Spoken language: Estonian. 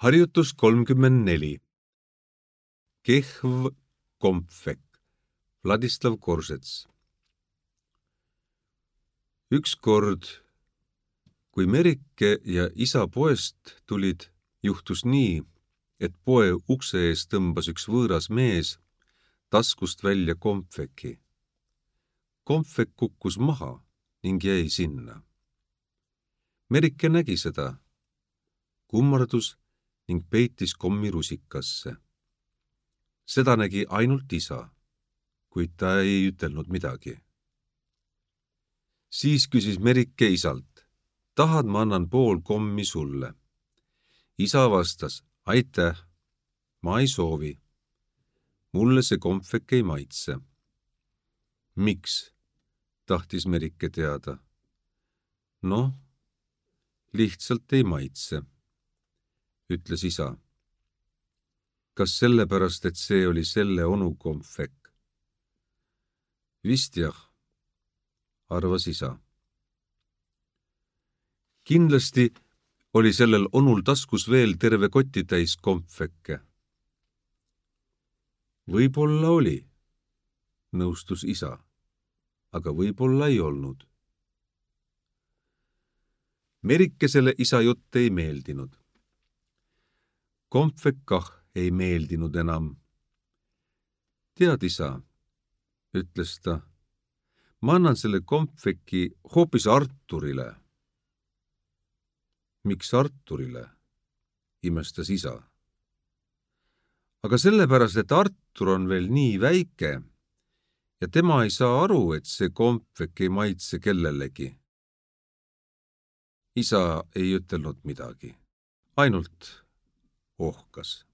Harjutus 34. Kehv kompvek. Vladislav Korsets. Ükskord, kui Merike ja isa poest tulid, juhtus nii, et poe ukse ees tõmbas üks võõras mees taskust välja kompveki. Kompvek kukkus maha ning jäi sinna. Merike nägi seda, kummardus ning peitis kommi rusikasse. Seda nägi ainult isa, kuid ta ei ütelnud midagi. Siis küsis Merike isalt, tahad, ma annan pool kommi sulle. Isa vastas, aitäh, ma ei soovi. Mulle see kompvek ei maitse. Miks? Tahtis Merike teada. Noh, lihtsalt ei maitse, ütles isa. Kas sellepärast, et see oli selle onu kompvek? Vist jah, arvas isa. Kindlasti oli sellel onul taskus veel terve kotitäis kompvekke. Võib-olla oli, nõustus isa, aga võib-olla ei olnud. Merikesele isa jutt ei meeldinud. Kompvek kah ei meeldinud enam. Tead, isa, ütles ta, ma annan selle kompveki hoopis Arturile. Miks Arturile? Imestas isa. Aga sellepärast, et Artur on veel nii väike ja tema ei saa aru, et see kompvek ei maitse kellelegi. Isa ei ütelnud midagi, ainult ohkas.